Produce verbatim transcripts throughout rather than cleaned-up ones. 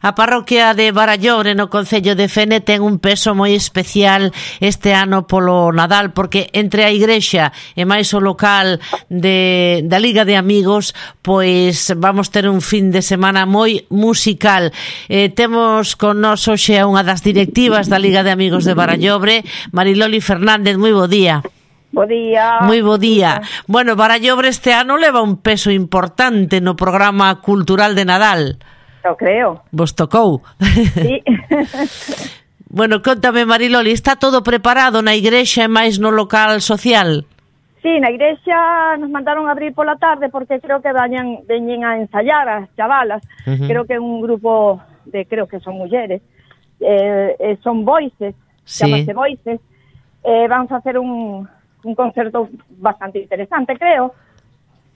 A parroquia de Barallobre no concello de Fene ten un peso moi especial este ano polo Nadal, porque entre a igrexa e máis o local de, da Liga de Amigos, pois vamos ter un fin de semana moi musical. Eh, temos con nós hoxe a unha das directivas da Liga de Amigos de Barallobre, Mariloli Fernández. Moi bo día. Bo día. Moi bo día. Bueno, Barallobre este ano leva un peso importante no programa cultural de Nadal. Eu creo. Vos tocou. Sí. Bueno, contame, Mariloli, está todo preparado na igrexa e máis no local social? Sí, na igrexa nos mandaron a abrir pola tarde porque creo que veñen, veñen a ensayar as chavalas. Uh-huh. Creo que é un grupo de, creo que son mulleres, eh, eh, son voices, sí. Chamase voices. Eh, vamos a hacer un, un concerto bastante interesante, creo,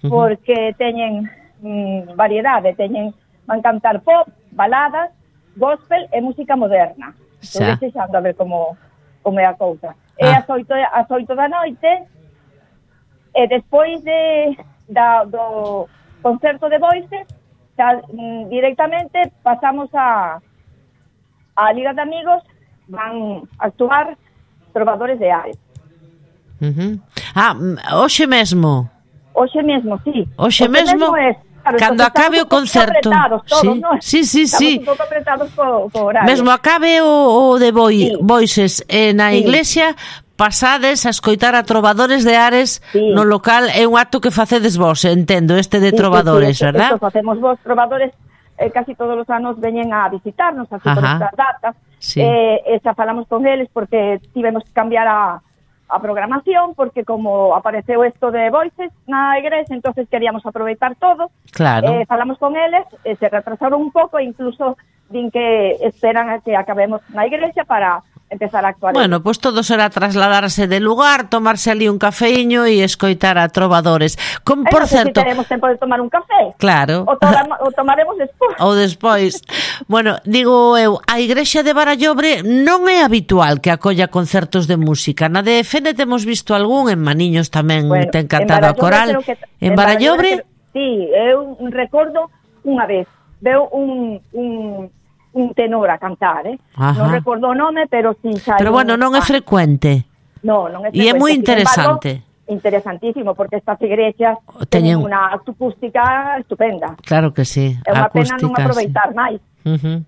uh-huh. Porque teñen mm, variedade, teñen van cantar pop, baladas, gospel e música moderna. Estou desexando a ver como, como é a cousa. Ah. É as oito, as oito da noite, e despois de, da, do concerto de voices, xa, mm, directamente pasamos a, a Liga de Amigos, van a actuar trovadores de Ares. Uh-huh. Ah, hoxe mesmo? Hoxe mesmo, sí. Hoxe mesmo? mesmo é Claro, cando acabe o concerto, todos, sí, ¿no? sí, sí, estamos sí. un pouco apretados co, co horario. Mesmo acabe o, o de boi, sí. Voices eh, na sí. Iglesia, pasades a escoitar a trovadores de Ares, sí. No local, é un acto que facedes vos, entendo, este de sí, trovadores, sí, sí, verdad? Esto facemos vos, trovadores, eh, casi todos os anos veñen a visitarnos, así por estas datas, sí. eh, e xa falamos con eles porque tivemos que cambiar a a programación, porque como apareceu isto de Voices na igrexa, entonces queríamos aproveitar todo. Claro. Eh, falamos con eles, eh, se retrasaron un pouco, incluso din que esperan a que acabemos na igrexa para empezar a actuar. Bueno, pois pues todo será trasladarse de lugar, tomarse ali un cafeíño e escoitar a trovadores. Como, por eh, no sé certo, si teremos tempo de tomar un café. Claro. O, toma, o tomaremos despois. Ou despois. Bueno, digo eu, a igrexa de Barallobre non é habitual que acolla concertos de música. Na de Fene temos visto algún, en Maniños tamén bueno, ten cantado a coral. Que, en, en Barallobre? Barallobre sí, eu recordo unha vez, veo un... un un tenor a cantar, eh? Ajá. Non recordo o nome, pero si xa... Pero bueno, non é frecuente. No, non é frecuente. E é moi interesante. Embargo, interesantísimo, porque estas igrexas teñen unha acústica estupenda. Claro que sí. É unha pena non aproveitar sí. máis. Uh-huh.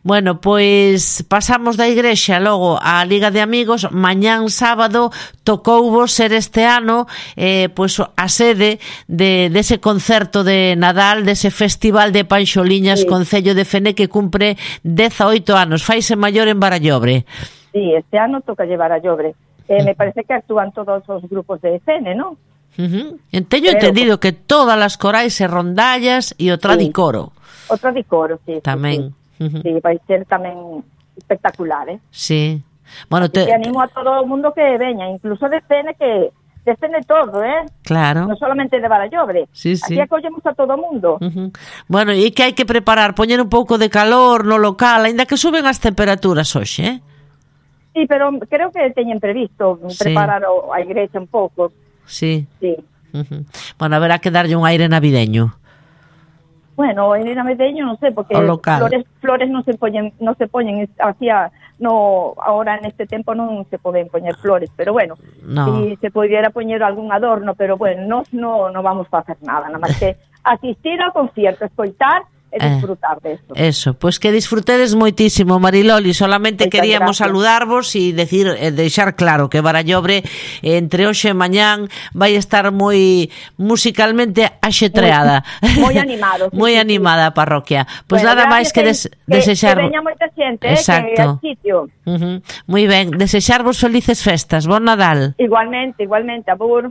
Bueno, pois pasamos da igrexa logo á Liga de Amigos. Mañán sábado tocouvos ser este ano eh, pois a sede de dese concerto de Nadal, dese festival de Panxoliñas, sí. Concello de Fene, que cumpre dezaoito anos. Faise maior en Barallobre. Sí, este ano toca llevar a Barallobre. Eh, me parece que actúan todos os grupos de Fene, ¿no? Uh-huh. Teño entendido que todas as corais e rondallas e o tradicoro. Sí. O tradicoro, sí. Tamén. Sí, sí. Uh-huh. Sí, vai ser tamén espectacular, eh? Sí. Bueno, te... te animo a todo o mundo que veña, incluso de Fene, que de Fene todo, eh? Claro. Non solamente de Barallobre. Sí, sí. Aquí acollemos a todo o mundo. Uh-huh. Bueno, e que hai que preparar? Poñer un pouco de calor no local, aínda que suben as temperaturas hoxe, eh? Sí, pero creo que teñen previsto sí. preparar a igrexa un pouco. Sí. Sí. Uh-huh. Bueno, haberá que darlle un aire navideño. Bueno, en navideño non sei, porque flores flores non se poñen, non se poñen hacia no ahora en este tempo non se poden poñer flores, pero bueno, no. Si se pudiera poñer algún adorno, pero bueno, nós no no vamos a facer nada, nada máis que asistir ao concierto, escoitar e disfrutar eh, de eso. Eso, pois pues que disfrutedes moitísimo, Mariloli. Solamente Moitas queríamos gracias. Saludarvos e decir, eh, deixar claro que Barallobre entre hoxe e mañán vai estar moi musicalmente axetreada. Moi animado. Sí, moi sí, animada sí. a parroquia. Pois pues bueno, nada máis que, des, que desexar. Que veña moita xente, exacto. Eh, que sitio. Uh-huh. Moi ben, desexarvos felices festas. Bon Nadal. Igualmente, igualmente, abur.